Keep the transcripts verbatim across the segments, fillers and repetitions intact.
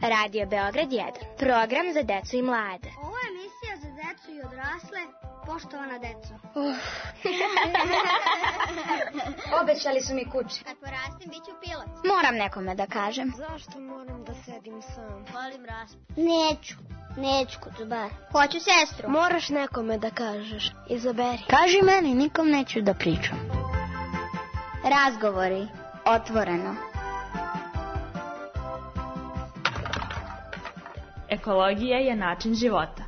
Radio Beograd jedan. Program za decu i mlade. Ovo je emisija za decu i odrasle. Poštovana deco. Uh. Obećali su mi kuće. Kad porastim, bit ću pilot. Moram nekome da kažem. Zašto moram da sedim sam? Volim raspad. Neću. Neću kucubar. Hoću sestru. Moraš nekome da kažeš. Izaberi. Kaži meni, nikom neću da pričam. Razgovori. Otvoreno. Ekologija je način života.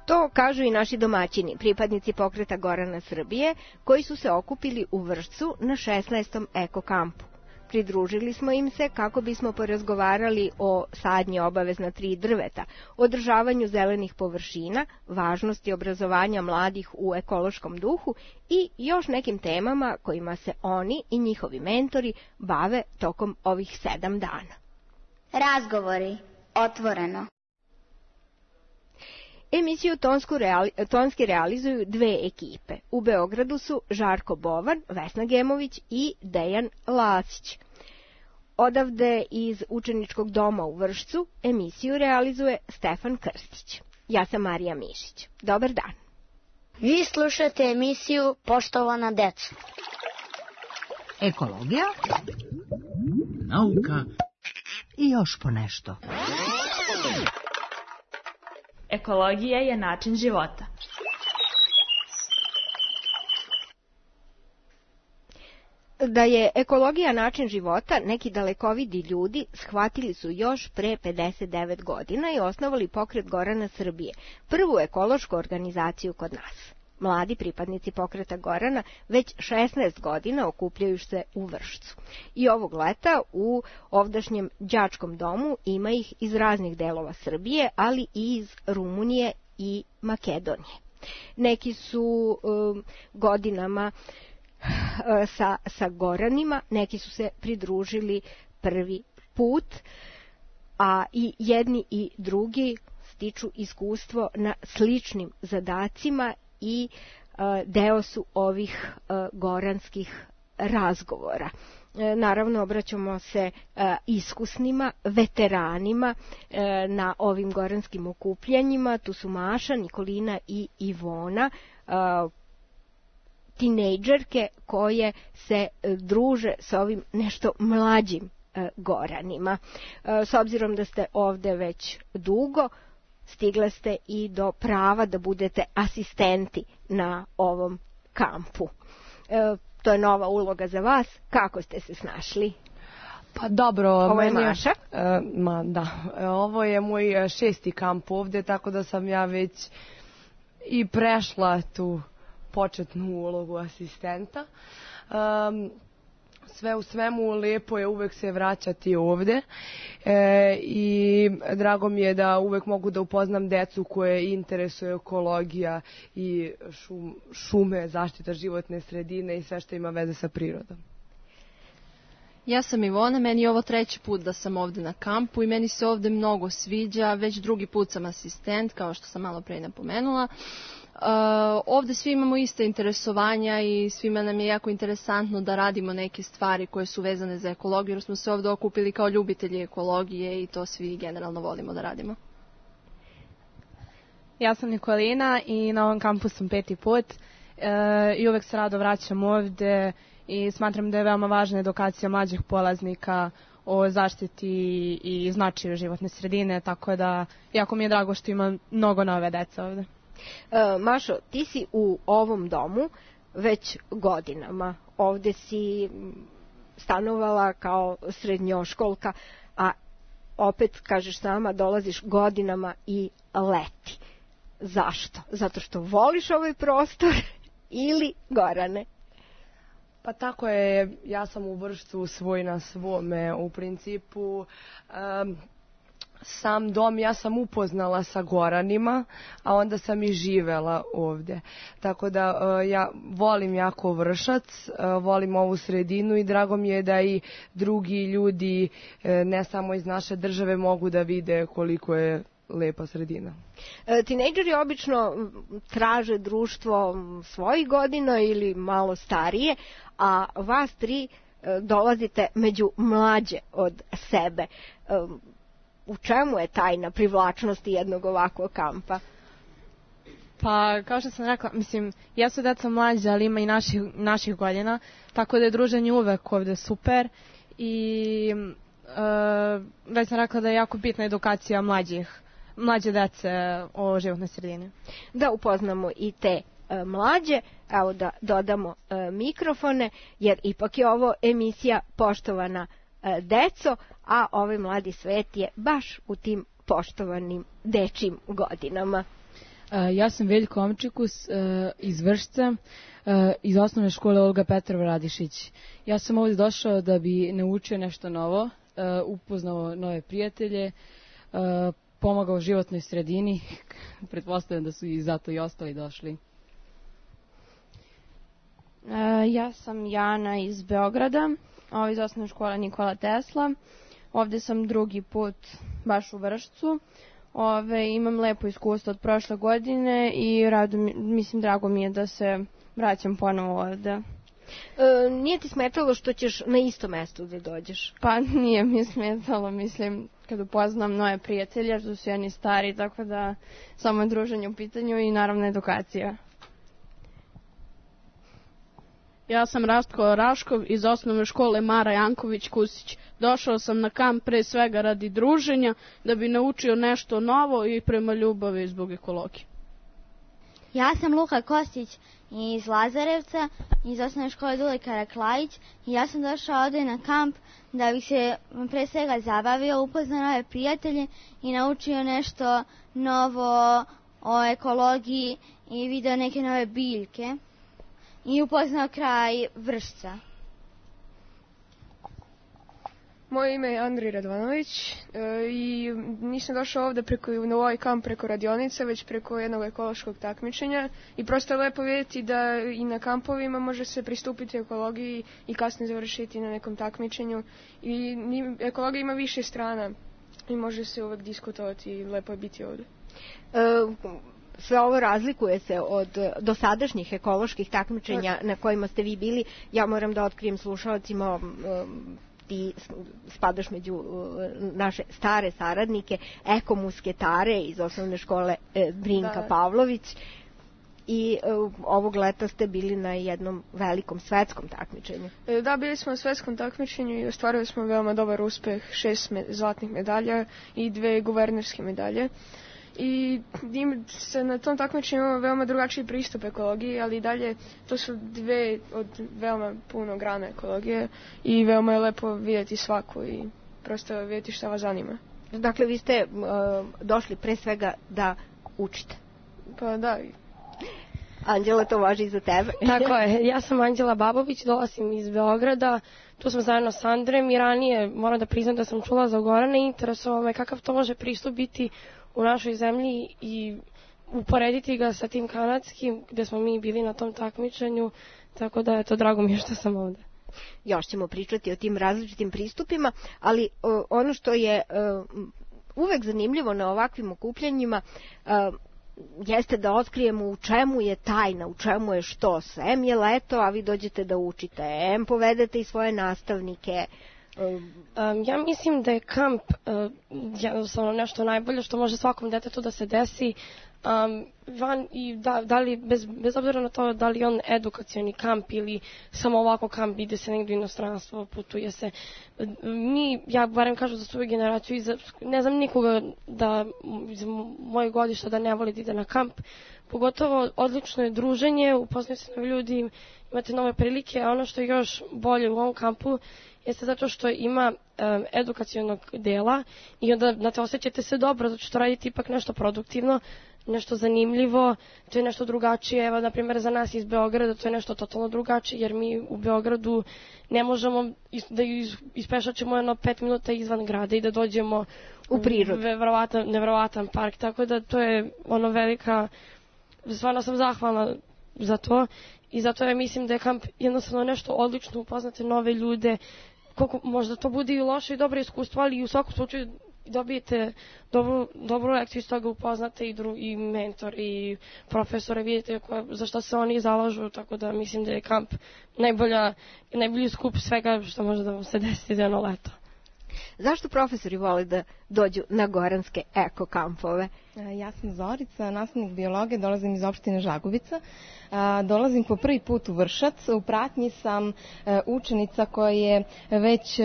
To kažu i naši domaćini, pripadnici pokreta Gorana Srbije, koji su se okupili u Vršcu na šesnaestom eko-kampu. Pridružili smo im se kako bismo porazgovarali o sadnji obavezna tri drveta, održavanju zelenih površina, važnosti obrazovanja mladih u ekološkom duhu i još nekim temama kojima se oni i njihovi mentori bave tokom ovih sedam dana. Razgovori. Otvoreno. Emisiju tonsku reali, tonski realizuju dve ekipe. U Beogradu su Žarko Bovan, Vesna Gemović i Dejan Lasić. Odavde iz učeničkog doma u Vršcu emisiju realizuje Stefan Krstić. Ja sam Marija Mišić. Dobar dan. Vi slušate emisiju Poštovana deca. Ekologija, nauka i još ponešto. Ekologija je način života. Da je ekologija način života, neki dalekovidi ljudi shvatili su još pre pedeset devet godina i osnovali pokret Gorana Srbije, prvu ekološku organizaciju kod nas. Mladi pripadnici pokreta Gorana već šesnaest godina okupljaju se u Vršcu. I ovog leta u ovdašnjem đačkom domu ima ih iz raznih delova Srbije, ali i iz Rumunije i Makedonije. Neki su um, godinama uh, sa, sa Goranima, neki su se pridružili prvi put, a i jedni i drugi stiču iskustvo na sličnim zadacima i uh, deo su ovih uh, goranskih razgovora. E, naravno, obraćamo se uh, iskusnima, veteranima uh, na ovim goranskim okupljanjima. Tu su Maša, Nikolina i Ivona, uh, tinejdžerke koje se uh, druže s ovim nešto mlađim uh, Goranima. Uh, s obzirom da ste ovde već dugo, stigle ste i do prava da budete asistenti na ovom kampu. E, to je nova uloga za vas. Kako ste se snašli? Pa dobro, ovo je meni, Maša. E, ma da, ovo je moj šesti kamp ovde, tako da sam ja već i prešla tu početnu ulogu asistenta. Um, Sve u svemu lepo je uvek se vraćati ovde e, i drago mi je da uvek mogu da upoznam decu koje interesuje ekologija i šum, šume, zaštita životne sredine i sve što ima veze sa prirodom. Ja sam Ivona, meni je ovo treći put da sam ovde na kampu i meni se ovde mnogo sviđa, već drugi put sam asistent, kao što sam malo pre napomenula. Uh, ovde svi imamo iste interesovanja i svima nam je jako interesantno da radimo neke stvari koje su vezane za ekologiju, jer smo se ovde okupili kao ljubitelji ekologije i to svi generalno volimo da radimo. Ja sam Nikolina i na ovom kampu sam peti put uh, i uvek se rado vraćam ovde i smatram da je veoma važna edukacija mlađih polaznika o zaštiti i značaju životne sredine, tako da jako mi je drago što ima mnogo nove dece ovde. E, Mašo, ti si u ovom domu već godinama. Ovde si stanovala kao srednjoškolka, a opet, kažeš sama, dolaziš godinama i leti. Zašto? Zato što voliš ovaj prostor ili Gorane? Pa tako je, ja sam u Vršcu svoj na svome. U principu, um, sam dom ja sam upoznala sa Goranima, a onda sam i živela ovde. Tako da uh, ja volim jako Vršac, uh, volim ovu sredinu i drago mi je da i drugi ljudi, uh, ne samo iz naše države, mogu da vide koliko je lepa sredina. E, tinejdžeri obično traže društvo svojih godina ili malo starije, a vas tri dolazite među mlađe od sebe. U čemu je tajna privlačnosti jednog ovakvog kampa? Pa, kao što sam rekla, mislim, jesu deca mlađe, ali ima i naših, naših godina, tako da je druženje uvek ovde super i e, već sam rekla da je jako bitna edukacija mlađih, mlađe dece o životnoj sredini. Da upoznamo i te e, mlađe, evo da dodamo e, mikrofone, jer ipak je ovo emisija Poštovana e, deco, a ovaj mladi svet je baš u tim poštovanim dečim godinama. Ja sam Veljko Omčikus iz Vršca, iz osnovne škole Olga Petrova Radišić. Ja sam ovdje došao da bi naučio nešto novo, upoznao nove prijatelje, pomagao životnoj sredini. Pretpostavljam da su i zato i ostali došli. Ja sam Jana iz Beograda, iz osnovne škole Nikola Tesla. Ovdje sam drugi put baš u Vršcu. Ove, imam lepo iskustvo od prošle godine i rado, mislim, drago mi je da se vraćam ponovo ovde. E, nije ti smetalo što ćeš na isto mesto da dođeš? Pa nije mi smetalo, mislim, kad upoznam nove prijatelje, što su jedni stari, tako da samo je druženje u pitanju i naravno edukacija. Ja sam Rastko Raškov iz osnovne škole Mara Janković Kusić. Došao sam na kamp pre svega radi druženja, da bi naučio nešto novo i prema ljubavi zbog ekologije. Ja sam Luka Kostić iz Lazarevca, iz osnovne škole Dule Karaklajić i ja sam došao ovdje na kamp da bih se pre svega zabavio, upoznao nove prijatelje i naučio nešto novo o ekologiji i video neke nove biljke i upoznao kraj Vršca. Moje ime je Andrij Radvanović e, i nisam došao ovde preko, na ovaj kamp preko radionice, već preko jednog ekološkog takmičenja i prosto je lepo vidjeti da i na kampovima može se pristupiti ekologiji i kasnije završiti na nekom takmičenju i ekologija ima više strana i može se uvek diskutovati i lepo je biti ovde. E, sve ovo razlikuje se od dosadašnjih ekoloških takmičenja na kojima ste vi bili. Ja moram da otkrijem slušalcima, um, ti spadaš među naše stare saradnike, ekomusketare iz osnovne škole Brinka da. Pavlović i ovog leta ste bili na jednom velikom svetskom takmičenju. Da, bili smo na svetskom takmičenju i ostvarili smo veoma dobar uspeh, šest me, zlatnih medalja i dve guvernerske medalje. I se na tom takmičenju ima veoma drugačiji pristup ekologiji, ali dalje to su dve od veoma puno grana ekologije i veoma je lepo vidjeti svaku i prosto vidjeti šta vas zanima. Dakle, vi ste uh, došli pre svega da učite. Pa da. Anđela, to važi i za tebe. Tako je, ja sam Anđela Babović, dolazim iz Beograda, tu sam zajedno s Andrem i ranije moram da priznam da sam čula za Gorana i interesovalo me kakav to može pristup biti u našoj zemlji i uporediti ga sa tim kanadskim gde smo mi bili na tom takmičenju, tako da je to drago mi je što sam ovde. Još ćemo pričati o tim različitim pristupima, ali o, ono što je o, uvek zanimljivo na ovakvim okupljanjima o, jeste da otkrijemo u čemu je tajna, u čemu je što. Em je leto, a vi dođete da učite, em povedete i svoje nastavnike. Um, ja mislim da je kamp uh, jednostavno nešto najbolje što može svakom detetu da se desi um, van i da, da li, bez, bez obzira na to da li on edukacioni kamp ili samo ovako kamp, ide se negdje u inostranstvo, putuje se. Mi, ja barem kažu za svoju generaciju, iza, ne znam nikoga da iz mojeg godišta da ne voli da ide na kamp. Pogotovo odlično je druženje, upoznaju se novi ljudi, imate nove prilike, a ono što je još bolje u ovom kampu jeste zato što ima um, edukacionog dela i onda, znate, osjećate se dobro, zato što radite ipak nešto produktivno, nešto zanimljivo, to je nešto drugačije. Evo, na primjer, za nas iz Beograda to je nešto totalno drugačije, jer mi u Beogradu ne možemo da ispešačemo jedno pet minuta izvan grada i da dođemo u prirodu. Nevjerovatan, nevjerovatan park, tako da to je ono velika, stvarno sam zahvalna za to i zato ja mislim da je kamp jednostavno nešto odlično, upoznate nove ljude, koliko možda to bude i loše i dobro iskustvo, ali u svakom slučaju dobijete dobru, dobru lekciju, iz toga upoznate i, dru, i mentor i profesore, vidite koje, za što se oni zalažu, tako da mislim da je kamp najbolja, najbolji skup svega što može da vam se desi za jedno leto. Zašto profesori vole da dođu na goranske eko kampove? Ja sam Zorica, nastavnik biologije, dolazim iz opštine Žagubica. Dolazim po prvi put u Vršac, u pratnji sam učenica koja je već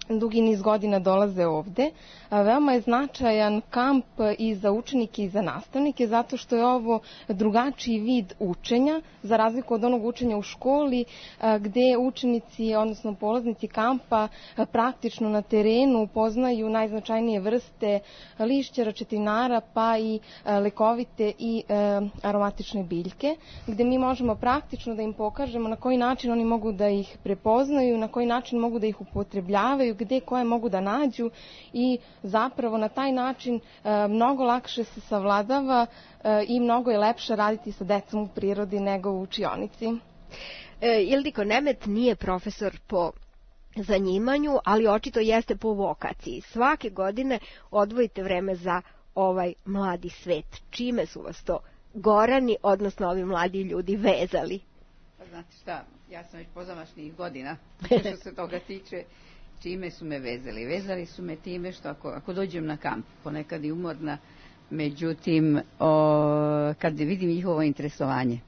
dugi niz godina dolaze ovde. Veoma je značajan kamp i za učenike i za nastavnike, zato što je ovo drugačiji vid učenja, za razliku od onog učenja u školi, gde učenici, odnosno polaznici kampa, praktično na terenu upoznaju najznačajnije vrste lišća, račetinara, pa i lekovite i aromatične biljke, gde mi možemo praktično da im pokažemo na koji način oni mogu da ih prepoznaju, na koji način mogu da ih upotrebljavaju, gde koje mogu da nađu i zapravo na taj način e, mnogo lakše se savladava e, i mnogo je lepše raditi sa decom u prirodi nego u učionici. E, Ildiko Nemet nije profesor po zanimanju, ali očito jeste po vokaciji. Svake godine odvojite vreme za ovaj mladi svet. Čime su vas to Gorani, odnosno ovi mladi ljudi, vezali? Pa znate šta, ja sam već pozamašnih godina, što se toga tiče. Čime su me vezali? Vezali su me time što ako, ako dođem na kamp, ponekad i umorna, međutim, o, kad vidim njihovo interesovanje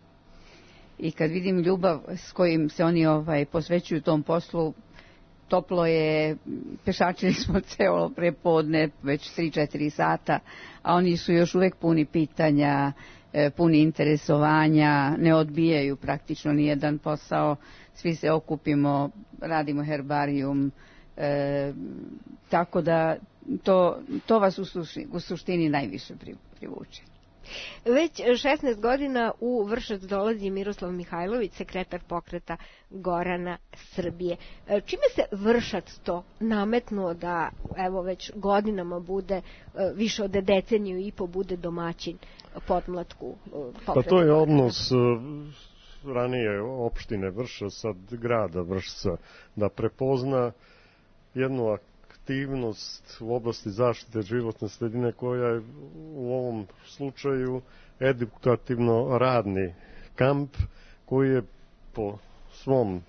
i kad vidim ljubav s kojim se oni ovaj, posvećuju tom poslu, toplo je, pešačili smo celo prepodne, već tri četiri sata, a oni su još uvek puni pitanja, puni interesovanja, ne odbijaju praktično nijedan posao, svi se okupimo, radimo herbarijum, E, tako da to, to vas u suštini, u suštini najviše privuče. Već šesnaest godina u Vršac dolazi Miroslav Mihajlović, sekretar pokreta Gorana Srbije. Čime se Vršac to nametnuo da evo već godinama bude, više od deceniju i po bude domaćin podmlatku pokreta? Pa to je odnos ranije opštine Vršac, sad grada Vršca, da prepozna jednu aktivnost u oblasti zaštite životne sredine koja je u ovom slučaju edukativno radni kamp koji je po svom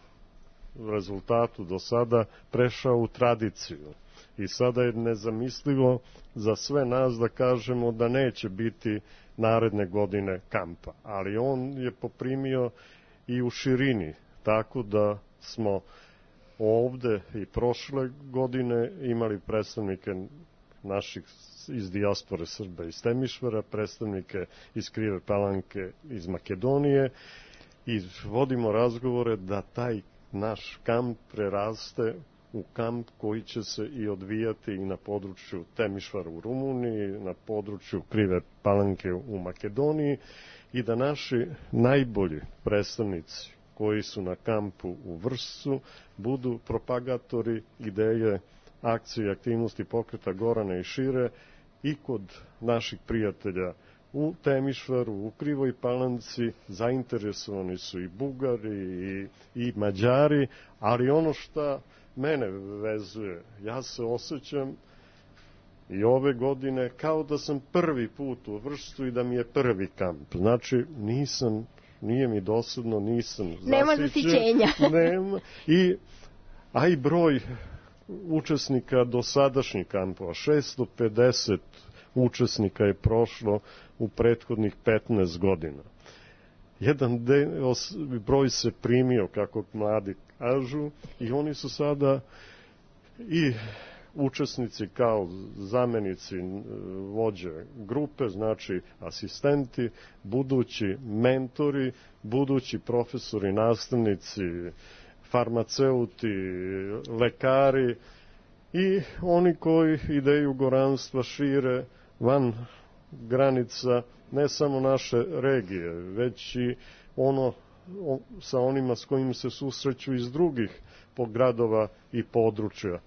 rezultatu do sada prešao u tradiciju. I sada je nezamislivo za sve nas da kažemo da neće biti naredne godine kampa, ali on je poprimio i u širini, tako da smo ovde i prošle godine imali predstavnike naših iz dijaspore Srba iz Temišvara, predstavnike iz Krive Palanke iz Makedonije i vodimo razgovore da taj naš kamp preraste u kamp koji će se i odvijati i na području Temišvara u Rumuniji, na području Krive Palanke u Makedoniji i da naši najbolji predstavnici koji su na kampu u Vršcu budu propagatori ideje, akcije i aktivnosti pokreta Gorana i šire i kod naših prijatelja u Temišvaru, u Krivoj Palanci. Zainteresovani su i Bugari i, i Mađari, ali ono što mene vezuje, ja se osjećam i ove godine kao da sam prvi put u Vršcu i da mi je prvi kamp. Znači nisam, nije mi dosadno, nisam zasićen. Nema zasićenja. Nema. I, a i broj učesnika dosadašnjih kampova, šesto pedeset učesnika je prošlo u prethodnih petnaest godina. Jedan deo, broj se primio, kako mladi kažu, i oni su sada i učesnici kao zamenici vođe grupe, znači asistenti, budući mentori, budući profesori, nastavnici, farmaceuti, lekari i oni koji ideju goranstva šire van granica ne samo naše regije, već i ono sa onima s kojim se susreću iz drugih gradova i područja.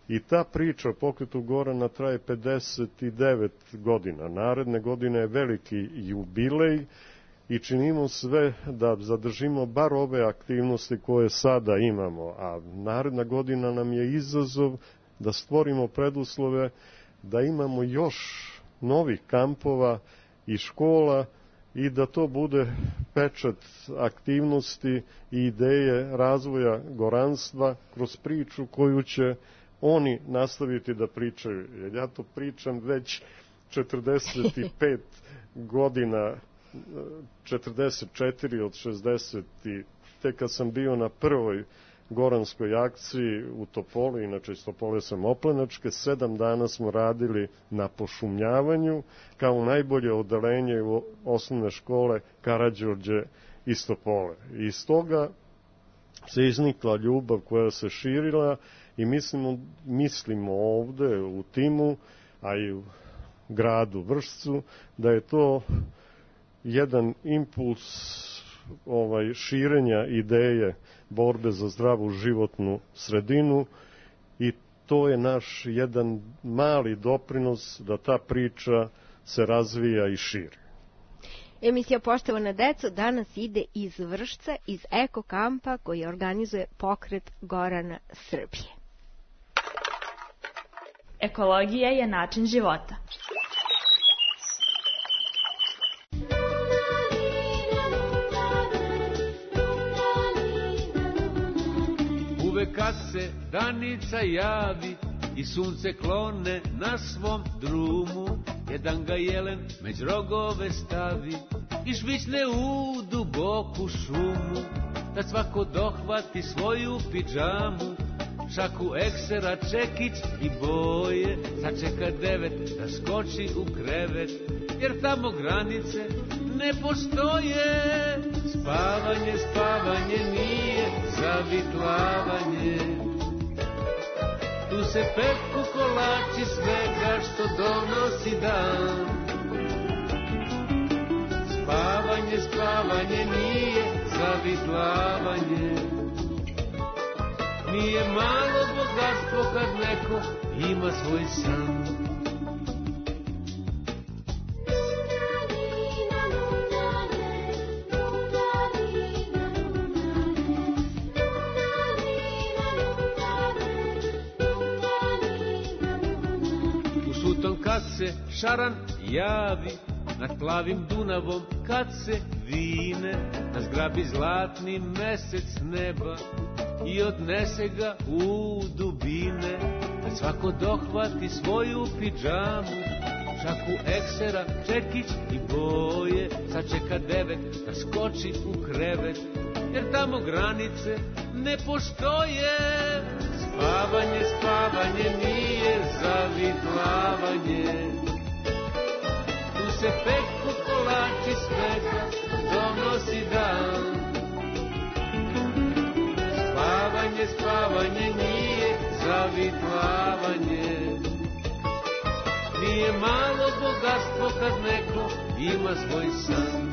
I ta priča o pokretu Gorana traje pedeset devet godina. Naredne godine je veliki jubilej i činimo sve da zadržimo bar ove aktivnosti koje sada imamo. A naredna godina nam je izazov da stvorimo preduslove da imamo još novih kampova i škola i da to bude pečat aktivnosti i ideje razvoja goranstva kroz priču koju će oni nastaviti da pričaju. Jer ja to pričam već četrdeset pet godina, četrdeset četiri od šezdeset, te kad sam bio na prvoj goranskoj akciji u Topoli, inače iz Topole sam Oplenačke, sedam dana smo radili na pošumljavanju kao najbolje odelenje u osnovne škole Karađorđe iz Topole. I iz toga se iznikla ljubav koja se širila i mislimo, mislimo ovde u timu, a i u gradu Vršcu, da je to jedan impuls ovaj, širenja ideje borbe za zdravu životnu sredinu i to je naš jedan mali doprinos da ta priča se razvija i širi. Emisija Poštovana deco danas ide iz Vršca, iz Eko kampa koji organizuje Pokret Gorana Srbije. Ekologija je način života. Uvek kad se danica javi i sunce klone na svom drumu, jedan ga jelen među rogove stavi i žvićne u duboku šumu, da svako dohvati svoju pidžamu, šaku eksera, čekić i boje, sačeka devet da skoči u krevet, jer tamo granice ne postoje. Spavanje, spavanje nije zavitlavanje, tu se peku kolači svega što donosi dan. Spavanje, spavanje nije zavitlavanje, nije malo bogatstvo kad neko ima svoj san. U sutom kad se šaran javi nad plavim Dunavom, kad se vine, da zgrabi zlatni mesec neba i odnese ga u dubine, da svako dohvati svoju pidžamu, šaku eksera, čekić i boje, sačeka devet da skoči u krevet, jer tamo granice ne postoje. Spavanje, spavanje nije zavitlavanje, tu se peku kolači svega donosi dan. Spavanje, spavanje nije zavitlavanje, nije malo bogatstvo kad neko ima svoj san.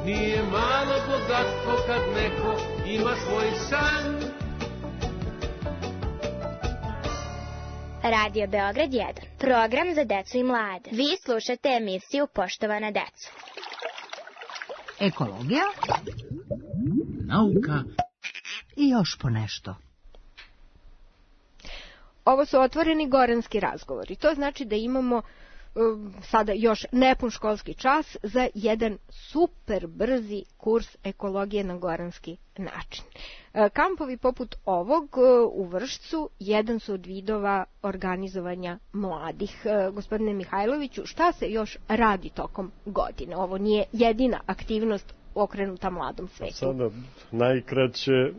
Nije malo bogatstvo kad neko ima svoj san. Radio Beograd jedan, program za decu i mlade. Vi slušate emisiju Poštovana deco. Ekologija, nauka i još po nešto. Ovo su otvoreni goranski razgovori. To znači da imamo sada još nepun školski čas za jedan super brzi kurs ekologije na goranski način. Kampovi poput ovog u Vršcu jedan su od vidova organizovanja mladih. Gospodine Mihajloviću, šta se još radi tokom godine? Ovo nije jedina aktivnost okrenuta mladom svetu. Sada najkraće,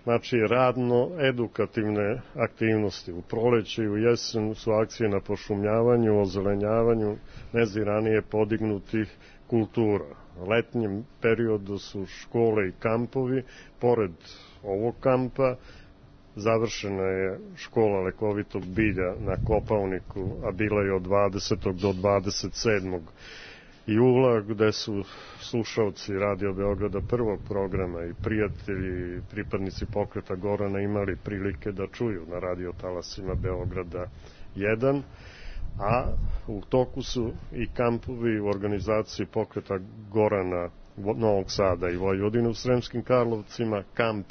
znači radno-edukativne aktivnosti. U proleće i u jesen su akcije na pošumljavanju, ozelenjavanju neziranije podignutih kultura. U letnjem periodu su škole i kampovi. Pored ovog kampa završena je škola lekovitog bilja na Kopaoniku, a bila je od dvadesetog do dvadeset sedmog jula, gde su slušalci Radio Beograda prvog programa i prijatelji i pripadnici Pokreta Gorana imali prilike da čuju na radio talasima Beograda jedan, a u toku su i kampovi u organizaciji Pokreta Gorana Novog Sada i Vojvodine u Sremskim Karlovcima, kamp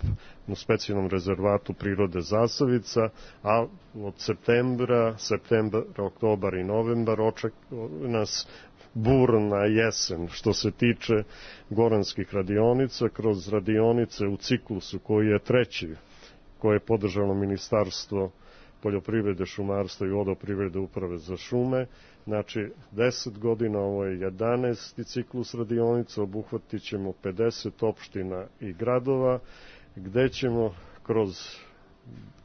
u specijalnom rezervatu prirode Zasavica, a od septembra, septembar, oktobar i novembar očekuje nas burna jesen što se tiče goranskih radionica, kroz radionice u ciklusu koji je treći, koje je podržalo Ministarstvo poljoprivrede, šumarstva i vodoprivrede uprave za šume. Znači, deset godina, ovo je jedanaesti ciklus radionica, obuhvatit ćemo pedeset opština i gradova, gde ćemo kroz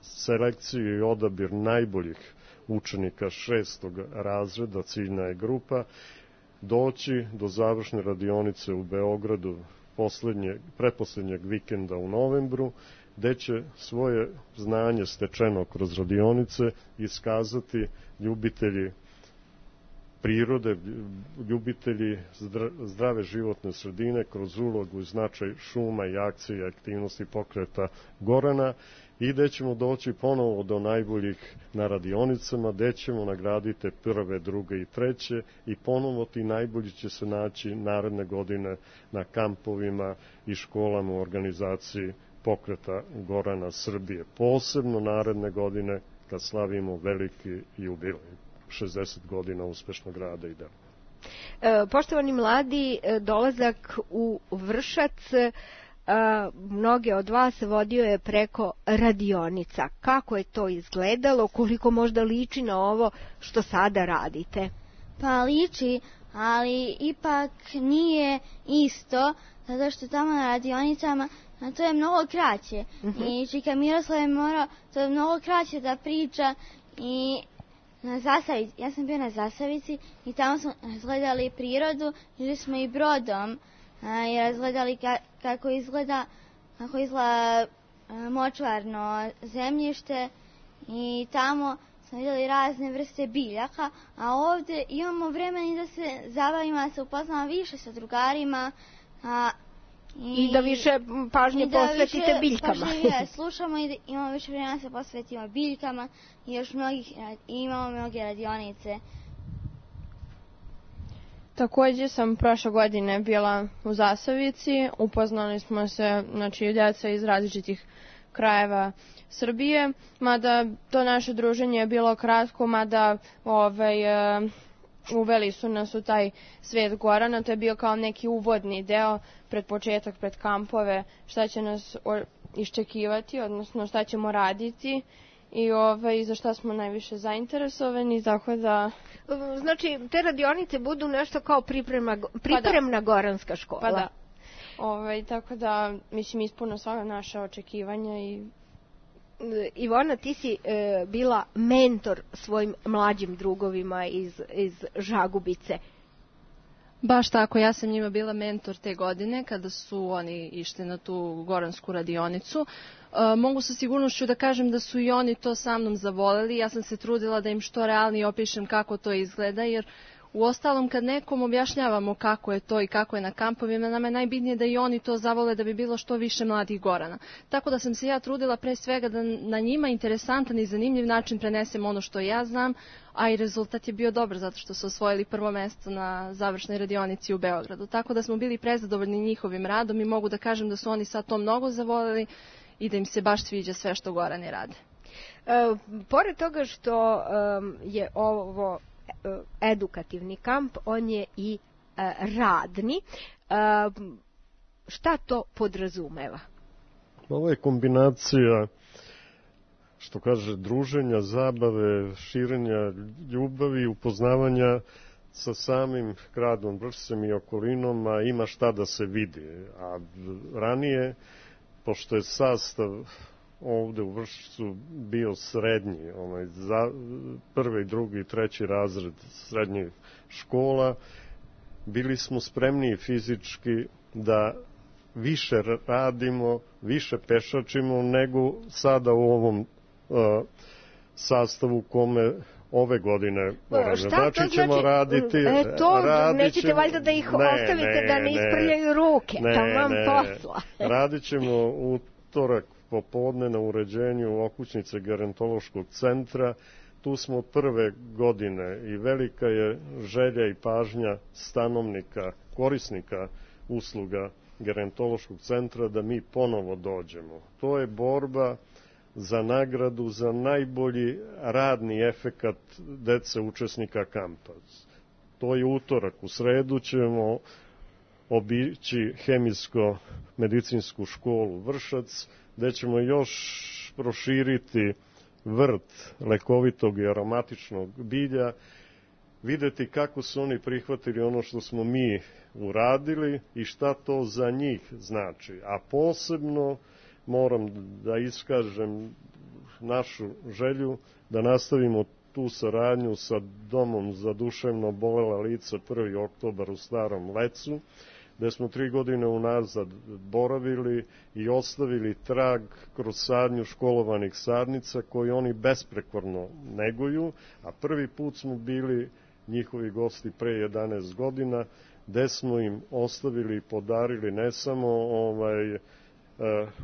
selekciju i odabir najboljih učenika šestog razreda, ciljna je grupa, doći do završne radionice u Beogradu poslednje, pretposlednjeg vikenda u novembru, gde će svoje znanje stečeno kroz radionice iskazati ljubitelji prirode, ljubitelji zdrave životne sredine kroz ulogu i značaj šuma i akcije i aktivnosti pokreta Gorana, i gde ćemo doći ponovo do najboljih na radionicama, gde ćemo nagraditi prve, druge i treće, i ponovo ti najbolji će se naći naredne godine na kampovima i školama u organizaciji pokreta Gorana Srbije. Posebno naredne godine kad slavimo veliki jubilej, šezdeset godina uspešnog rada i dela. E, poštovani mladi, dolazak u Vršac e, mnoge od vas vodio je preko radionica. Kako je to izgledalo? Koliko možda liči na ovo što sada radite? Pa liči, ali ipak nije isto, zato što tamo na radionicama a to je mnogo kraće. Uh-huh. I Čika Miroslav je morao, to je mnogo kraće da priča, i na Zasavici, ja sam bio na Zasavici i tamo smo razgledali prirodu, išli smo i brodom a, i razgledali ka, kako izgleda, kako izgleda a, močvarno zemljište, i tamo smo vidjeli razne vrste biljaka, a ovdje imamo vremena da se zabavimo, da se upoznamo više sa drugarima, a, I, I da više pažnje da posvetite više biljkama. Pažnje slušamo i da imamo više vremena da se posvetimo biljkama, i još mnogih, i imamo mnoge radionice. Takođe sam prošle godine bila u Zasavici, upoznali smo se, znači, djeca iz različitih krajeva Srbije, mada to naše druženje je bilo kratko, mada ovaj, uveli su nas u taj svet Gorana, to je bio kao neki uvodni deo pred početak, pred kampove, šta će nas iščekivati, odnosno šta ćemo raditi i ovaj, za šta smo najviše zainteresovani, tako da... Znači, te radionice budu nešto kao priprema, pripremna pa da. Goranska škola. Pa da. Ovaj, tako da, mislim, ispuno sva naša očekivanja i... Ivona, ti si e, bila mentor svojim mlađim drugovima iz, iz Žagubice. Baš tako, ja sam njima bila mentor te godine kada su oni išli na tu goransku radionicu. E, mogu sa sigurnošću da kažem da su i oni to sa mnom zavoleli. Ja sam se trudila da im što realnije opišem kako to izgleda, jer u ostalom kad nekom objašnjavamo kako je to i kako je na kampovima, nama je najbitnije da i oni to zavole, da bi bilo što više mladih Gorana. Tako da sam se ja trudila pre svega da na njima interesantan i zanimljiv način prenesem ono što ja znam, a i rezultat je bio dobar zato što su osvojili prvo mesto na završnoj radionici u Beogradu. Tako da smo bili prezadovoljni njihovim radom i mogu da kažem da su oni sad to mnogo zavoleli i da im se baš sviđa sve što Gorani rade. E, pored toga što um, je ovo edukativni kamp, on je i e, radni. E, šta to podrazumeva? Ovo je kombinacija, što kaže, druženja, zabave, širenja ljubavi, upoznavanja sa samim gradom Vršcem i okolinom, a ima šta da se vidi. A ranije, pošto je sastav ovde u Vršcu bio srednji, onaj, za, prvi, drugi i treći razred srednjih škola, bili smo spremniji fizički da više radimo, više pešačimo nego sada u ovom uh, sastavu kome ove godine moramo. Znači ćemo znači, raditi... E, to, radit nećete ćemo, valjda da ih ne, ostavite ne, da ne isprljaju ruke, ne, tamam ne, posla. Radit ćemo utorak popodne na uređenju okućnice gerontološkog centra. Tu smo od prve godine i velika je želja i pažnja stanovnika, korisnika usluga gerontološkog centra da mi ponovo dođemo. To je borba za nagradu za najbolji radni efekat dece učesnika kampa. To je utorak. U sredu ćemo obići hemijsko-medicinsku školu Vršac, gde ćemo još proširiti vrt lekovitog i aromatičnog bilja, videti kako su oni prihvatili ono što smo mi uradili i šta to za njih znači. A posebno moram da iskažem našu želju da nastavimo tu saradnju sa Domom za duševno obolela lica prvi oktobar u Starom Lecu, gde smo tri godine unazad boravili i ostavili trag kroz sadnju školovanih sadnica koji oni besprekorno neguju, a prvi put smo bili njihovi gosti pre jedanaest godina, gde smo im ostavili i podarili ne samo ovaj, uh,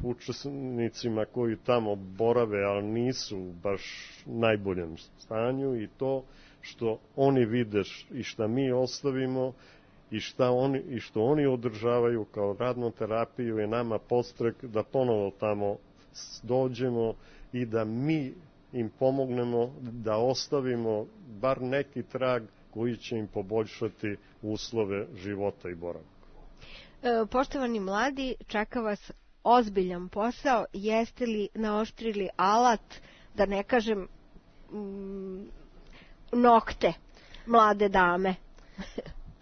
učesnicima koji tamo borave, ali nisu u baš najboljem stanju, i to što oni vide i šta mi ostavimo i, šta oni, i što oni održavaju kao radnu terapiju je nama podstrek da ponovo tamo dođemo i da mi im pomognemo da ostavimo bar neki trag koji će im poboljšati uslove života i boravka. E, poštovani mladi, čeka vas ozbiljan posao. Jeste li naoštrili alat, da ne kažem mm, nokte mlade dame?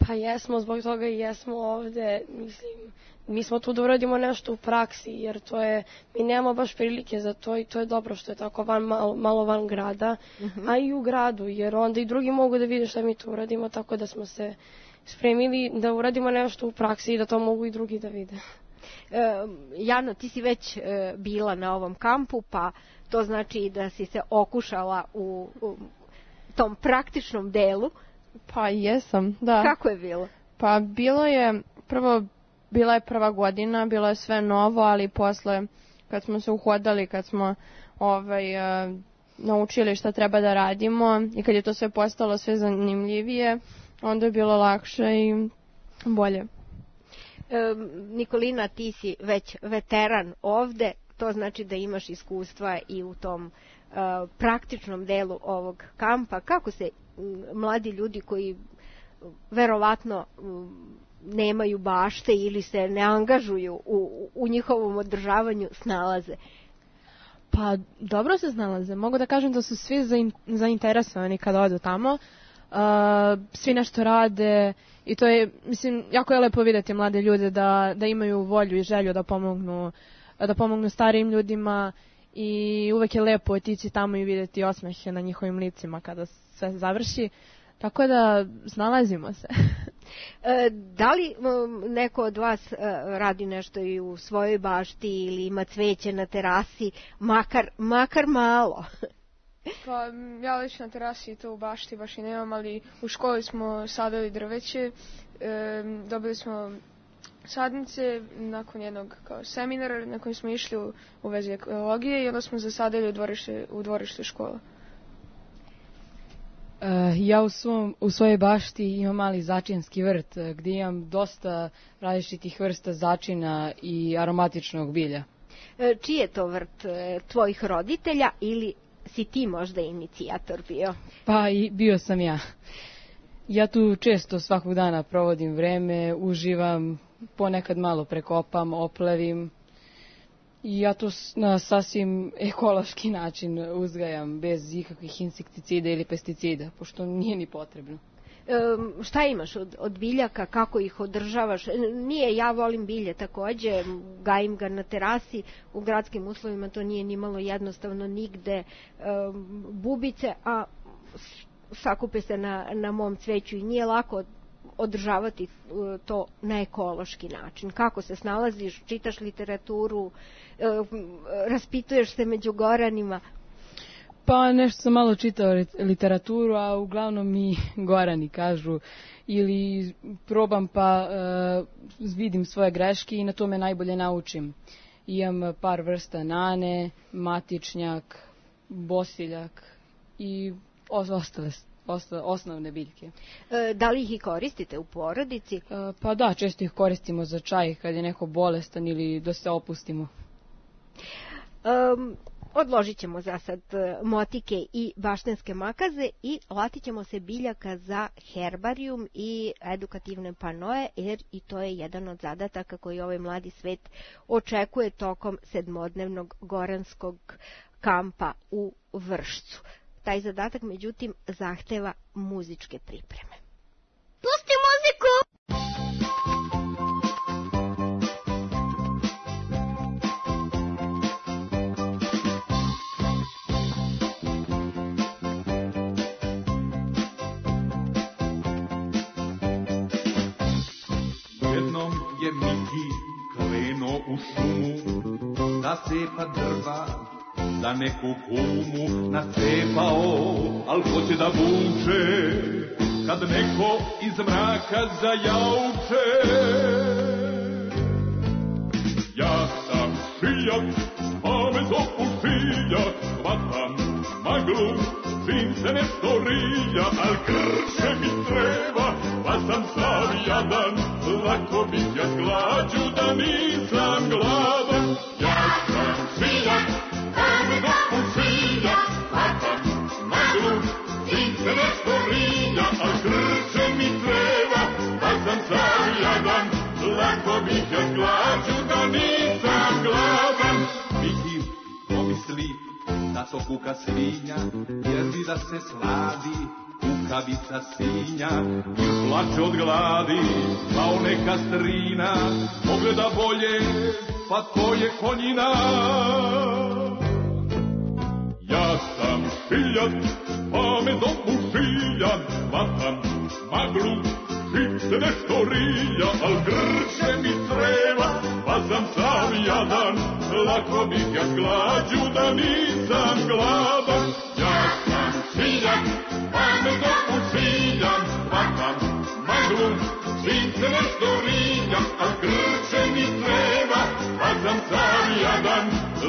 Pa jesmo, zbog toga i jesmo ovde. Mislim, mi smo tu da uradimo nešto u praksi, jer to je, mi nemamo baš prilike za to i to je dobro što je tako van, malo, malo van grada, uh-huh. a i u gradu, jer onda i drugi mogu da vide šta mi tu uradimo, tako da smo se spremili da uradimo nešto u praksi i da to mogu i drugi da vide. E, Jano, ti si već e, bila na ovom kampu, pa to znači da si se okušala u, u tom praktičnom delu. Pa jesam, da. Kako je bilo? Pa bilo je, prvo, bila je prva godina, bilo je sve novo, ali posle, kad smo se uhodali, kad smo ovaj, uh, naučili šta treba da radimo i kad je to sve postalo sve zanimljivije, onda je bilo lakše i bolje. E, Nikolina, ti si već veteran ovde, to znači da imaš iskustva i u tom uh, praktičnom delu ovog kampa. Kako se mladi ljudi koji verovatno nemaju bašte ili se ne angažuju u, u njihovom održavanju snalaze? Pa dobro se snalaze. Mogu da kažem da su svi zainteresovani kada odu tamo. Uh, svi nešto rade i to je, mislim, jako je lepo vidjeti mlade ljude da, da imaju volju i želju da pomognu, da pomognu starijim ljudima i uvek je lepo otići tamo i vidjeti osmehe na njihovim licima kada sve završi. Tako da snalazimo se. E, da li neko od vas radi nešto i u svojoj bašti ili ima cveće na terasi, makar, makar malo? Pa ja lično na terasi to u bašti baš i nemam, ali u školi smo sadili drveće, e, dobili smo sadnice nakon jednog kao seminara na kojem smo išli u, u vezi ekologije i onda smo zasadili u dvorište, u dvorište škola. Uh, ja u, svom, u svojoj bašti imam mali začinski vrt gdje imam dosta različitih vrsta začina i aromatičnog bilja. E, čiji je to vrt? E, tvojih roditelja ili si ti možda inicijator bio? Pa i bio sam ja. Ja tu često svakog dana provodim vreme, uživam, ponekad malo prekopam, oplevim. I ja to na sasvim ekološki način uzgajam, bez ikakvih insekticida ili pesticida, pošto nije ni potrebno. E, šta imaš od, od biljaka, kako ih održavaš? Nije, ja volim bilje takođe, gajim ga na terasi, u gradskim uslovima to nije ni malo jednostavno nigde. E, bubice, a sakupe se na, na mom cveću i nije lako održavati to na ekološki način. Kako se snalaziš, čitaš literaturu, raspituješ se među Goranima? Pa nešto sam malo čitao literaturu, a uglavnom mi Gorani kažu ili probam pa uh, vidim svoje greške i na tome najbolje naučim. Imam par vrsta nane, matičnjak, bosiljak i ostale osnovne biljke. E, da li ih i koristite u porodici? E, pa da, često ih koristimo za čaj kad je neko bolestan ili da se opustimo. Um, Odložit ćemo za sad motike i baštenske makaze i latit ćemo se biljaka za herbarijum i edukativne panoje, jer i to je jedan od zadataka koji ovaj mladi svet očekuje tokom sedmodnevnog goranskog kampa u Vršcu. Taj zadatak, međutim, zahteva muzičke pripreme. Pusti muziku! Jednom je Miki krenuo u šumu da cepa drva za neku kumu. Nacepao, al hoće da vuče kad neko iz mraka zajauče. Ja sam šiljak, pa me zovu šiljak, hvatam maglu, čim se nešto rija, al krše mi treba, pa sam sav jadan, lako bih ja glađu da nisam gladan. Ja sam šiljak, pa me zovu šiljak, hvatam maglu, čim se nešto rija, al krše mi treba, pa sam sav jadan, lako bih ja glađu da nisam gladan. Miki pomisli da to kuka svinja, jer bi da se sladi kukavica sinja, i plače od gladi kao neka strina, pogleda bolje, pa to je konjina. Ja sam šiljak, pa me zovu šiljak, hvatam maglu, čim se nešto rija, al grče mi treba, pa sam sav jadan, lako bih ja glađu da nisam gladan. Ja sam šiljak, pa me zovu šiljak, hvatam maglu, čim se nešto rija, al grče mi treba, pa sam sav jadan,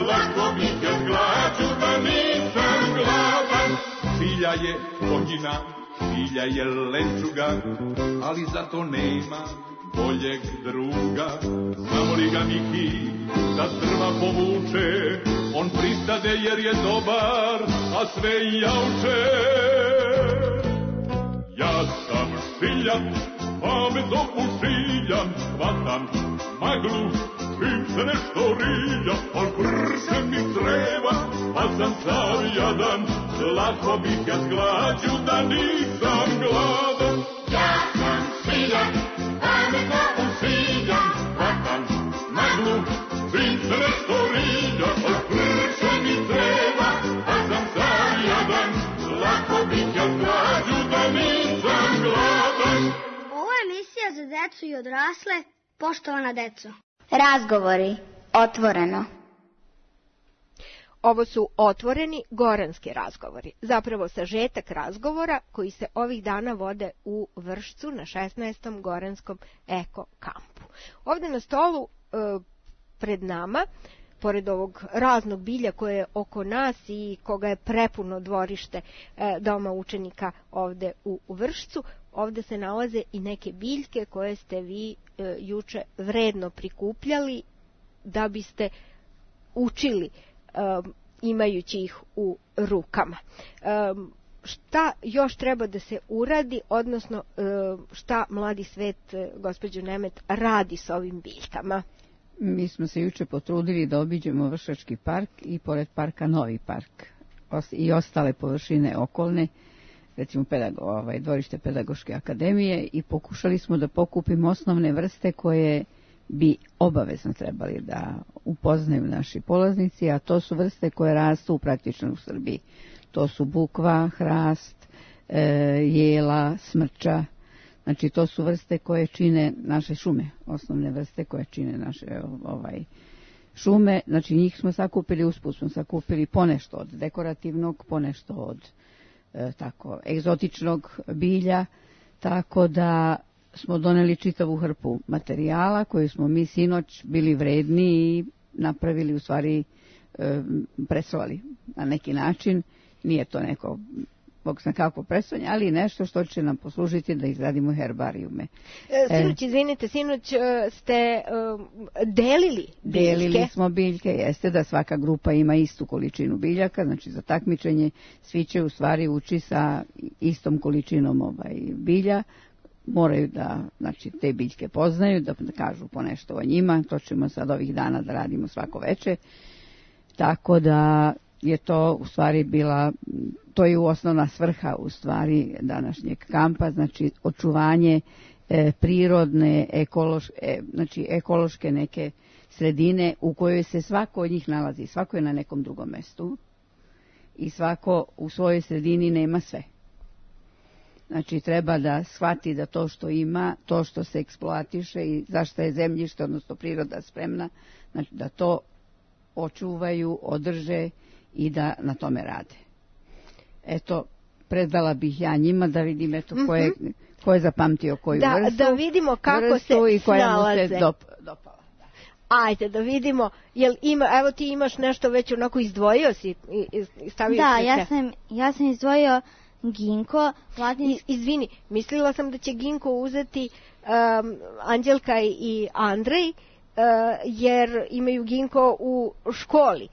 lako bih ja glađu da nisam gladan. Šilja je konjina, šilja je lenčuga, ali zato nema boljeg druga. Samo li ga Miki da drva povuče, on pristade jer je dobar, a sve jauče. Ja sam šiljak, pa me zovu šiljak, hvatam maglu, čim se nešto rija, al prše mi treba, pa sam sav jadan, lako bih ja glađu da nisam gladan. Ja sam šiljak, pa me zovu šiljak, hvatam maglu, čim se nešto rija, al prše mi treba, pa sam sav jadan, lako bih ja glađu da nisam gladan. Ovo je emisija za decu i odrasle, poštovana deco. Razgovori, otvoreno. Ovo su otvoreni goranski razgovori, zapravo sažetak razgovora koji se ovih dana vode u Vršcu na šesnaestom goranskom eko kampu. Ovde na stolu e, pred nama, pored ovog raznog bilja koje je oko nas i koga je prepuno dvorište e, doma učenika ovde u, u Vršcu, ovde se nalaze i neke biljke koje ste vi e, juče vredno prikupljali da biste učili Um, imajući ih u rukama. Um, šta još treba da se uradi, odnosno um, šta mladi svet, gospođo Nemet, radi s ovim biljkama? Mi smo se juče potrudili da obiđemo Vršački park i pored parka Novi park i ostale površine okolne, recimo pedago, ovaj, dvorište Pedagoške akademije, i pokušali smo da pokupimo osnovne vrste koje bi obavezno trebali da upoznaju naši polaznici, a to su vrste koje rastu praktično u Srbiji. To su bukva, hrast, e, jela, smrča. Znači, to su vrste koje čine naše šume, osnovne vrste koje čine naše ovaj, šume. Znači, njih smo sakupili, usput smo sakupili ponešto od dekorativnog, ponešto od e, tako egzotičnog bilja, tako da smo doneli čitavu hrpu materijala koji smo mi sinoć bili vredni i napravili, u stvari e, presovali na neki način. Nije to neko bog zna kako presvanje, ali nešto što će nam poslužiti da izradimo herbarijume. E, sinoć, izvinite, sinoć ste um, delili biljke? Delili smo biljke, jeste da svaka grupa ima istu količinu biljaka, znači za takmičenje svi će u stvari ući sa istom količinom ovaj, bilja, moraju da znači, te biljke poznaju, da kažu po nešto o njima, to ćemo sad ovih dana da radimo svako veče, tako da je to u stvari bila, to je osnovna svrha u stvari današnjeg kampa, znači očuvanje e, prirodne, ekološke, e, znači ekološke neke sredine u kojoj se svako od njih nalazi, svako je na nekom drugom mestu i svako u svojoj sredini nema sve. Znači treba da shvati da to što ima, to što se eksploatiše i zašto je zemljište, odnosno priroda spremna, znači da to očuvaju, održe i da na tome rade. Eto, predala bih ja njima da vidim eto ko je, ko je zapamtio koju da, vrstu. Da vidimo kako vrstu se i koja snalaze. mu se dop, dopala. Ajde, da vidimo, jel ima, evo ti imaš nešto već onako izdvojio si i, i stavio da, si ja sam, ja sam izdvojio ginko. Latinski... Izvini, mislila sam da će ginko uzeti um, Anđelka i Andrej, uh, jer imaju ginko u školi.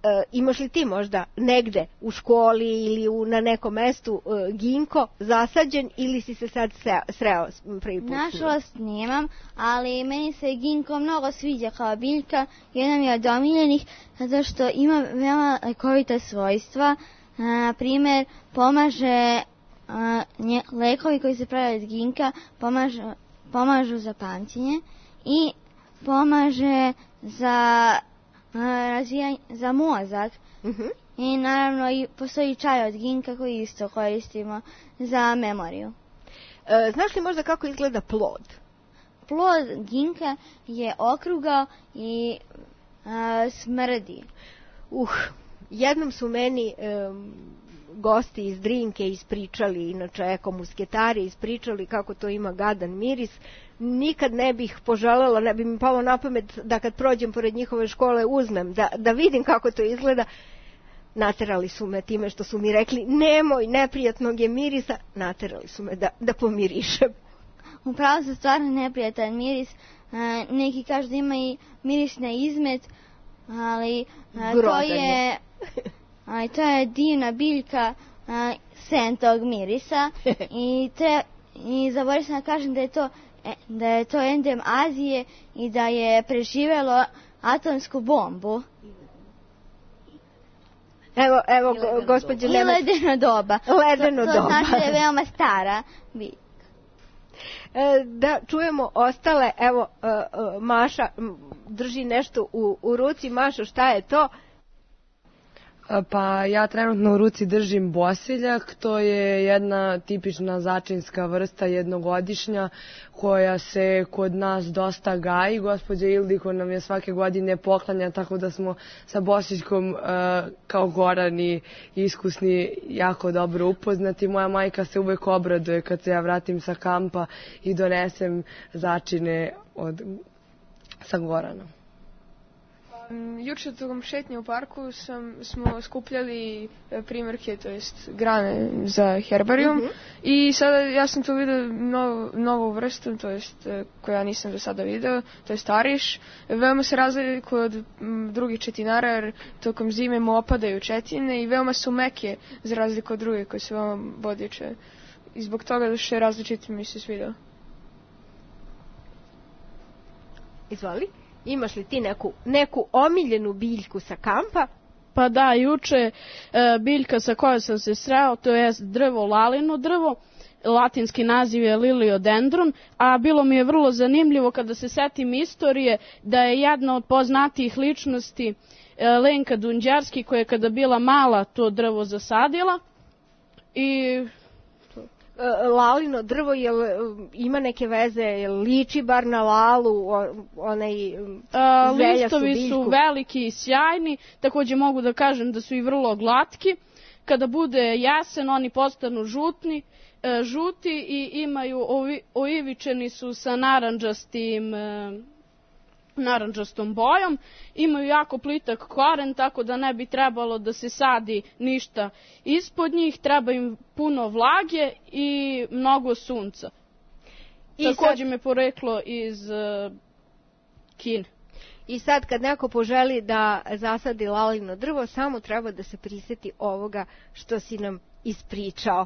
Uh, imaš li ti možda negde u školi ili u, na nekom mestu uh, ginko zasađen ili si se sad sreo, sreo prvi put? Nažalost nemam, ali meni se ginko mnogo sviđa kao biljka, jedna mi je od omiljenih zato što ima veoma lekovita svojstva. Na primjer, pomaže a, nje, lekovi koji se prave od ginka pomažu, pomažu za pamćenje i pomaže za razvijanje, za mozak. Uh-huh. I naravno i postoji čaj od ginka koji isto koristimo za memoriju. E, znaš li možda kako izgleda plod? Plod ginka je okrugao i a, smrdi. Uh, jednom su meni um, gosti iz Drinke ispričali, inače ekomusketari ispričali kako to ima gadan miris. Nikad ne bih poželjela, ne bi mi palo na pamet da kad prođem pored njihove škole uzmem, da, da vidim kako to izgleda. Naterali su me time što su mi rekli nemoj, neprijatnog je mirisa, naterali su me da, da pomirišem. Upravo su stvarno neprijatan miris, a, neki kažu da ima i miris na izmet, ali a, to je, a, to je divna biljka a, sen tog mirisa i, tre, i zaboravila sam da kažem da je to da je to endem Azije i da je preživelo atomsku bombu. Evo, evo, gospođo Nemac. I ledeno doba. Ledeno to, to doba. znači da je veoma stara biljka. E, da čujemo ostale, evo, e, e, Maša drži nešto u, u ruci. Mašo, šta je to? Pa ja trenutno u ruci držim bosiljak, to je jedna tipična začinska vrsta jednogodišnja koja se kod nas dosta gaji. Gospođa Ildiko nam je svake godine poklanja, tako da smo sa bosiljkom uh, kao Gorani iskusni jako dobro upoznati. Moja majka se uvek obraduje kad se ja vratim sa kampa i donesem začine od, sa Goranom. Juče tokom šetnje u parku sam, smo skupljali primjerke, to jest grane za herbarijum. Mm-hmm. I sada ja sam tu vidio novu, novu vrstu, to jest koju ja nisam do sada video, to je stariš. Veoma se razlikuje od m, drugih četinara jer tokom zime mu opadaju četine i veoma su meke za razliku od drugih koje su veoma bodiče. I zbog toga što je različit mi se svidio. Izvoli. Imaš li ti neku, neku omiljenu biljku sa kampa? Pa da, juče e, biljka sa kojom sam se sreo, to je drvo lalino drvo, latinski naziv je Liliodendron, a bilo mi je vrlo zanimljivo kada se setim istorije da je jedna od poznatijih ličnosti e, Lenka Dunđarski koja je kada bila mala to drvo zasadila i... Lalino drvo, jel ima neke veze, jel liči bar na lalu, onaj A, zelja listovi su, su veliki i sjajni, također mogu da kažem da su i vrlo glatki. Kada bude jesen, oni postanu žutni, e, žuti i imaju, ovi, oivičeni su sa narandžastim e, narandžastom bojom, imaju jako plitak koren, tako da ne bi trebalo da se sadi ništa ispod njih, treba im puno vlage i mnogo sunca. I također sad... me poreklo iz uh, Kine. I sad kad neko poželi da zasadi lalino drvo, samo treba da se prisjeti ovoga što si nam ispričao.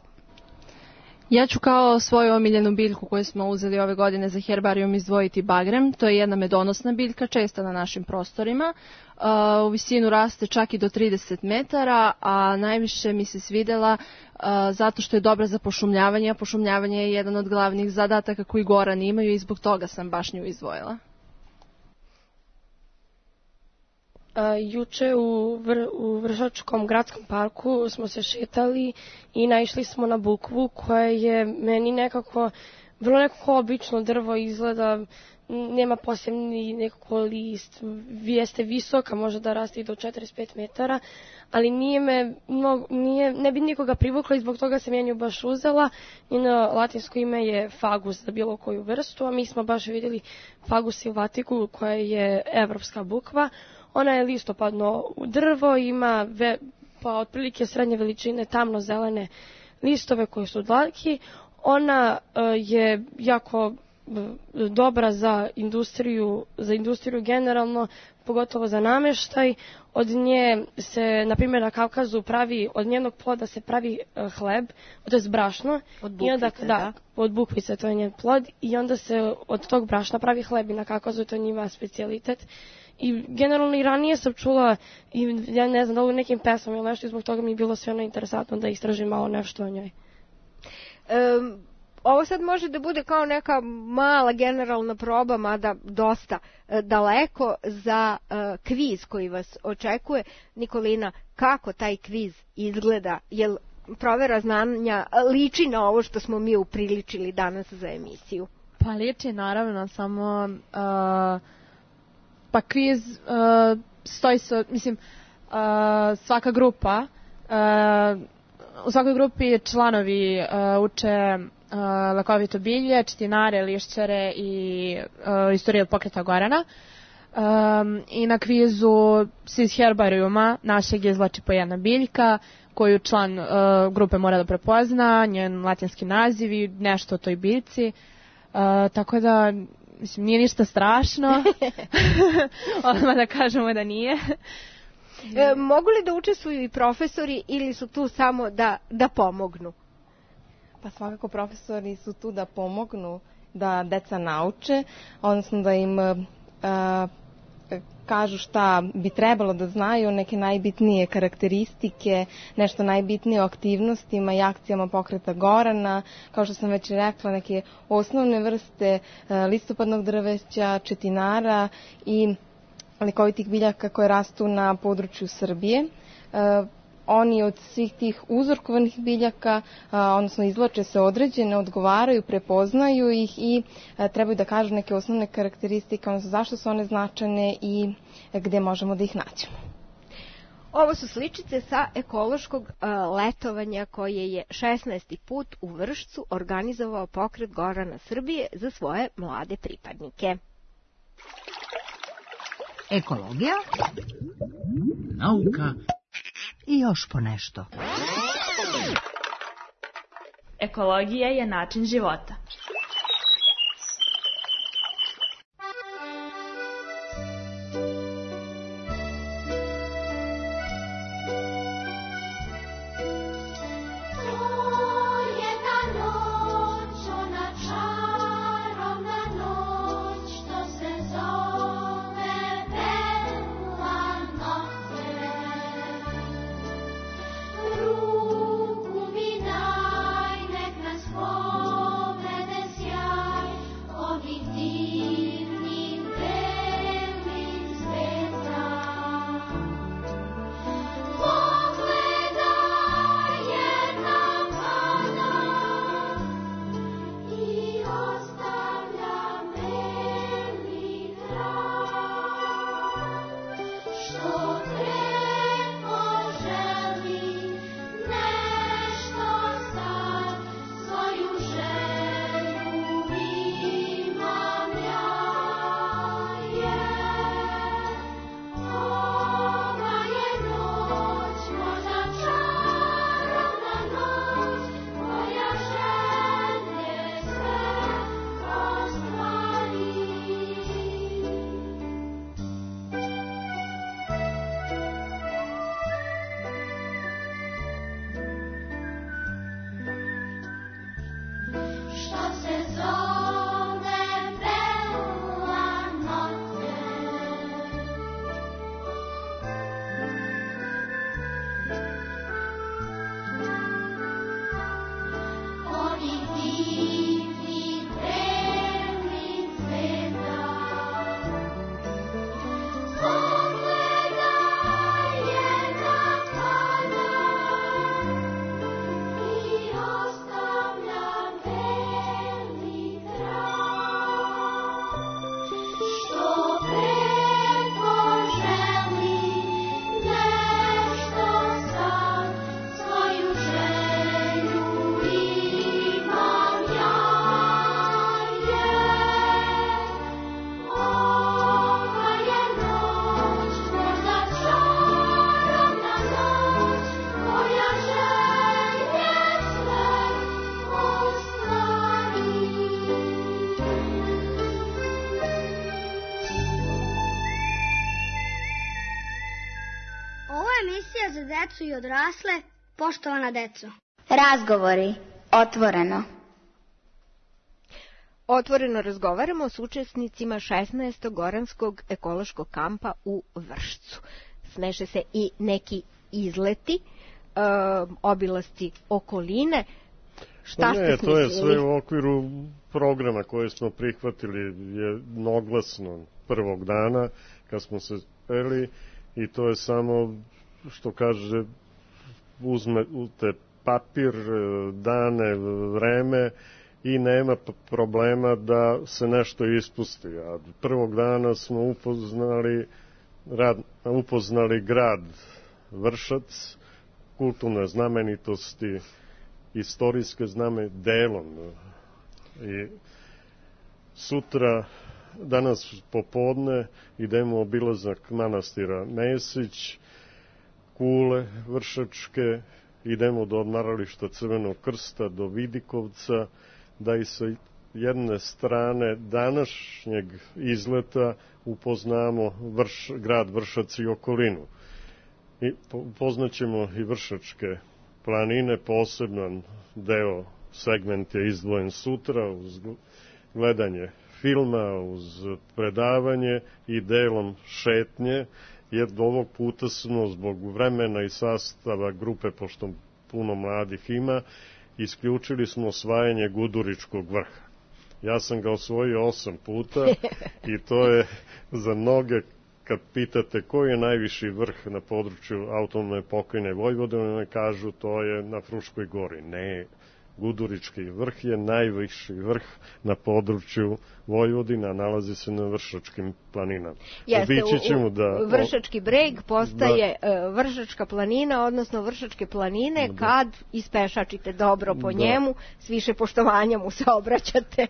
Ja ću kao svoju omiljenu biljku koju smo uzeli ove godine za herbarijum izdvojiti bagrem. To je jedna medonosna biljka, česta na našim prostorima. U visinu raste čak i do trideset metara, a najviše mi se svidela zato što je dobra za pošumljavanje, a pošumljavanje je jedan od glavnih zadataka koji gorani imaju i zbog toga sam baš nju izdvojila. Uh, juče u, vr, u Vršačkom gradskom parku smo se šetali i naišli smo na bukvu koja je meni nekako vrlo nekako obično drvo izgleda, nema posebni nekako list, jeste visoka, može da raste i do četrdeset pet metara, ali nije me, no, nije, ne bi nikoga privukla i zbog toga sam ja nju baš uzela. Njeno latinsko ime je fagus za bilo koju vrstu, a mi smo baš vidjeli fagus silvatiku koja je evropska bukva. Ona je listopadno drvo, ima ve, pa otprilike srednje veličine tamno-zelene listove koji su dlatki. Ona uh, je jako uh, dobra za industriju, za industriju generalno, pogotovo za namještaj. Od nje se, na primjer, na Kavkazu pravi, od njenog ploda se pravi uh, hleb, to je brašno. Od bukvice, onda, da, da? Od bukvice, to je njen plod. I onda se od tog brašna pravi hleb i na Kavkazu to je njima specijalitet. I generalno i ranije sam čula, i ja ne znam, da li u nekim pesmama ili nešto, i zbog toga mi je bilo sve ono interesantno da istražim malo nešto o njoj. Um, ovo sad može da bude kao neka mala generalna proba, mada dosta uh, daleko za uh, kviz koji vas očekuje. Nikolina, kako taj kviz izgleda? Jel provera znanja liči na ovo što smo mi upriličili danas za emisiju? Pa liči, naravno, samo... Uh... Pa kviz uh, stoji se, mislim, uh, svaka grupa, uh, u svakoj grupi članovi uh, uče uh, lekovito bilje, četinare, lišćare i uh, istoriju pokreta Gorana. Um, I na kvizu se iz herbarijuma našeg izvlači po jedna biljka koju član uh, grupe mora da prepozna, njen latinski naziv i nešto o toj biljci. Uh, tako da... Mislim, nije ništa strašno, odmah da kažemo da nije. E, mogu li da učestvuju i profesori ili su tu samo da, da pomognu? Pa svakako profesori su tu da pomognu, da deca nauče, odnosno da im a, kažu šta bi trebalo da znaju, neke najbitnije karakteristike, nešto najbitnije o aktivnostima i akcijama pokreta Gorana, kao što sam već rekla, neke osnovne vrste listopadnog drveća, četinara i lekovitih biljaka koje rastu na području Srbije. Oni od svih tih uzorkovanih biljaka, a, odnosno izvlače se određene, odgovaraju, prepoznaju ih i a, trebaju da kažu neke osnovne karakteristike, odnosno zašto su one značajne i gde možemo da ih nađemo. Ovo su sličice sa ekološkog a, letovanja koje je šesnaesti put u Vršcu organizovao pokret Gorana Srbije za svoje mlade pripadnike. Ekologija, nauka i još po nešto. Ekologija je način života. Ruku mi daj, nek nas povede za decu i odrasle, poštovana deco. Razgovori. Otvoreno. Otvoreno razgovaramo s učesnicima šesnaestog goranskog ekološkog kampa u Vršcu. Smeše se i neki izleti, e, obilasci okoline. Šta ne, ste smislili? To je sve u okviru programa koje smo prihvatili jednoglasno prvog dana kad smo se speli i to je samo, što kaže, uzmete papir, dane, vreme i nema problema da se nešto ispusti. A prvog dana smo upoznali, rad, upoznali grad Vršac, kulturne znamenitosti, istorijske zname delom. I sutra, danas popodne, idemo obilazak manastira Mesić, Kule Vršačke, idemo do odmarališta Crvenog krsta, do Vidikovca, da i sa jedne strane današnjeg izleta upoznamo Vrš, grad Vršac i okolinu. I upoznaćemo i Vršačke planine, poseban deo, segment je izdvojen sutra uz gledanje filma, uz predavanje i delom šetnje, jer do ovog puta smo zbog vremena i sastava grupe, pošto puno mladih ima, isključili smo osvajanje Guduričkog vrha. Ja sam ga osvojio osam puta i to je za mnoge, kad pitate koji je najviši vrh na području autonomne pokrajine Vojvodine, kažu to je na Fruškoj gori. Ne, Gudurički vrh je najviši vrh na području Vojvodina, nalazi se na Vršačkim planinama. Jeste, u, u da, Vršački breg postaje da, Vršačka planina, odnosno Vršačke planine, da, kad ispešačite dobro po da. njemu, s više poštovanja mu se obraćate.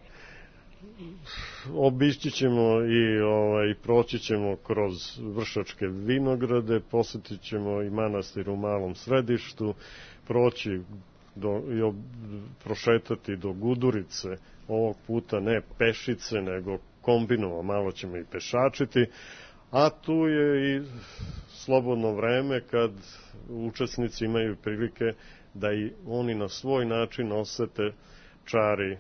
Obići ćemo i ovaj, proći ćemo kroz Vršačke vinograde, posjetit ćemo i manastir u Malom Središtu, proći do, i ob, prošetati do Gudurice, ovog puta ne pešice, nego kombinovano, malo ćemo i pešačiti, a tu je i slobodno vreme kad učesnici imaju prilike da i oni na svoj način osete čari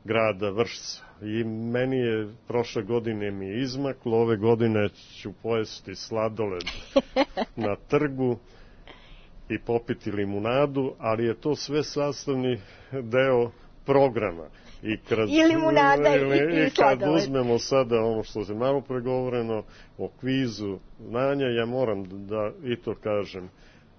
grada Vršca. I meni je prošle godine mi je izmaklo, ove godine ću pojesti sladoled na trgu i popiti limunadu, ali je to sve sastavni deo programa. I, kad, I limunada i, i, i sladoled. Kad uzmemo sada ono što se malo pregovoreno o kvizu znanja, ja moram da i to kažem,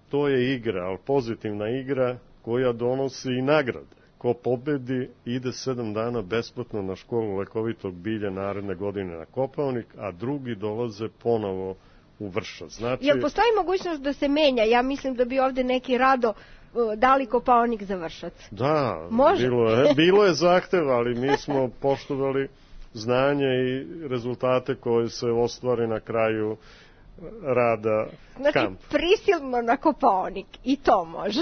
to je igra, ali pozitivna igra koja donosi i nagrade. Ko pobedi ide sedam dana besplatno na školu lekovitog bilja naredne godine na Kopaonik, a drugi dolaze ponovo u Vršac. Znači, jel postoji mogućnost da se menja? Ja mislim da bi ovde neki rado dali Kopaonik za Vršac. Da, može? Bilo je, bilo je zahteva, ali mi smo poštovali znanje i rezultate koje se ostvare na kraju rada znači, kamp. Znači, prisilno na Kopaonik, i to može.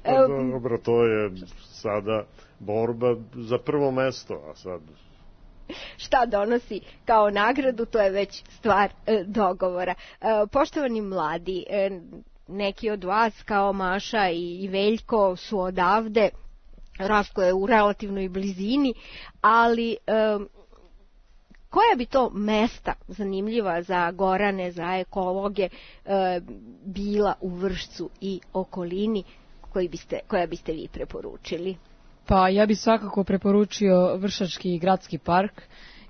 Pa, dobro, to je sada borba za prvo mesto, a sad... Šta donosi kao nagradu, to je već stvar e, dogovora. E, poštovani mladi, e, neki od vas kao Maša i, i Veljko su odavde, Raško je u relativnoj blizini, ali... E, koja bi to mesta zanimljiva za Gorane, za ekologe e, bila u Vršcu i okolini koji biste, koja biste vi preporučili? Pa ja bih svakako preporučio Vršački gradski park,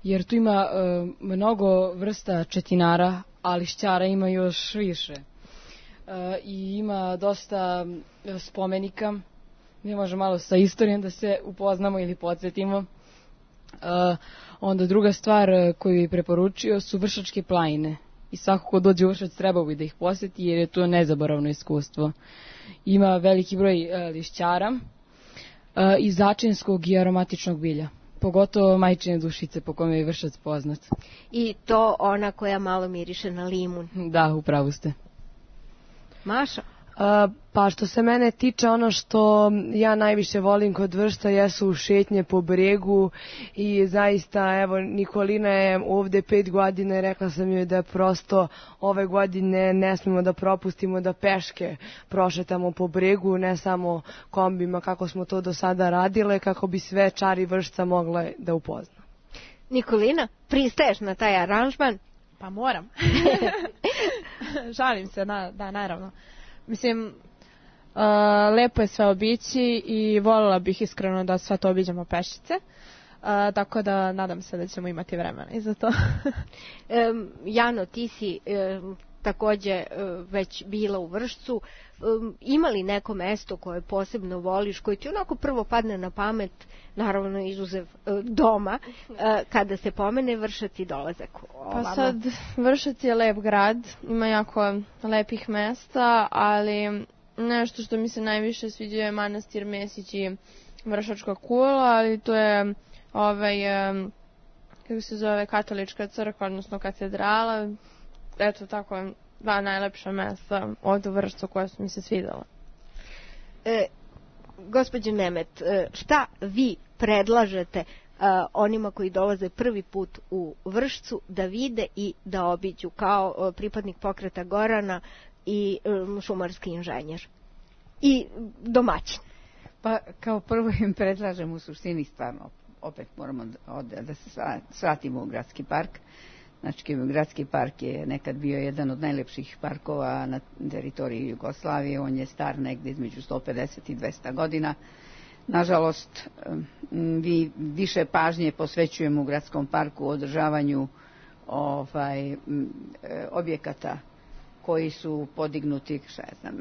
jer tu ima e, mnogo vrsta četinara, a lišćara ima još više. E, I ima dosta spomenika. Mi možemo malo sa istorijom da se upoznamo ili podsjetimo. E, onda druga stvar koju bih preporučio su Vršačke planine. I svako ko dođe u Vršac trebao bi da ih posjeti jer je to nezaboravno iskustvo. Ima veliki broj e, lišćara e, i začinskog i aromatičnog bilja. Pogotovo majčine dušice po kome je Vršac poznat. I to ona koja malo miriše na limun. Da, upravo ste. Maša? Pa što se mene tiče, ono što ja najviše volim kod Vršca jesu šetnje po bregu i zaista, evo, Nikolina je ovde pet godina i rekla sam joj da prosto ove godine ne smemo da propustimo da peške prošetamo po bregu, ne samo kombima kako smo to do sada radile, kako bi sve čari Vršca mogle da upozna. Nikolina, pristaješ na taj aranžman? Pa moram. Žalim se, na, da, naravno. Mislim, uh, lepo je sve obići i voljela bih iskreno da sve to obiđemo pešice. Uh, tako da nadam se da ćemo imati vremena i za to. um, Jano, ti si um, takođe um, već bila u Vršcu. Um, ima li neko mesto koje posebno voliš, koje ti onako prvo padne na pamet, naravno izuzev uh, doma, uh, kada se pomene Vršac i dolazak ovama? Pa sad, Vršac je lep grad, ima jako lepih mesta, ali nešto što mi se najviše sviđa je manastir Mesić i Vršačka kula, ali to je ovaj, um, kako se zove, katolička crkva, odnosno katedrala. Eto, tako dva najlepša mesta ovdje u Vršcu koja su mi se svidjela. E, gospođo Nemet, šta vi predlažete uh, onima koji dolaze prvi put u Vršcu da vide i da obiđu kao uh, pripadnik pokreta Gorana i um, šumarski inženjer i domaćin? Pa kao prvo im predlažem u suštini stvarno, opet moramo da, da se svratimo u gradski park. Znači, gradski park je nekad bio jedan od najlepših parkova na teritoriji Jugoslavije. On je star negdje između sto pedeset i dvesta godina. Nažalost, vi više pažnje posvećujemo u gradskom parku u održavanju ovaj, objekata koji su podignuti, šta ja znam,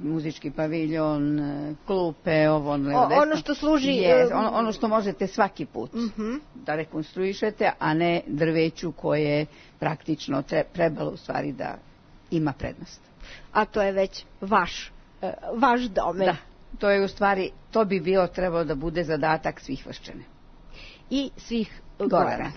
muzički paviljon, klupe, ovo, ono, ono što služi... Yes, ono, ono što možete svaki put uh-huh. da rekonstruišete, a ne drveću koje praktično tre, trebalo u stvari da ima prednost. A to je već vaš, vaš domen. Da, to je u stvari, to bi bilo trebalo da bude zadatak svih Vrščana. I svih Gorana.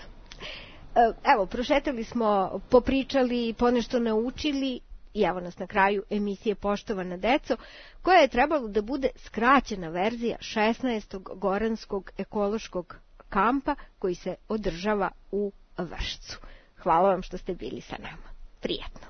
Evo, prošetali smo, popričali, ponešto naučili. I evo nas na kraju emisije Poštovana deco, koja je trebalo da bude skraćena verzija šesnaestog Goranskog ekološkog kampa koji se održava u Vršcu. Hvala vam što ste bili sa nama. Prijetno.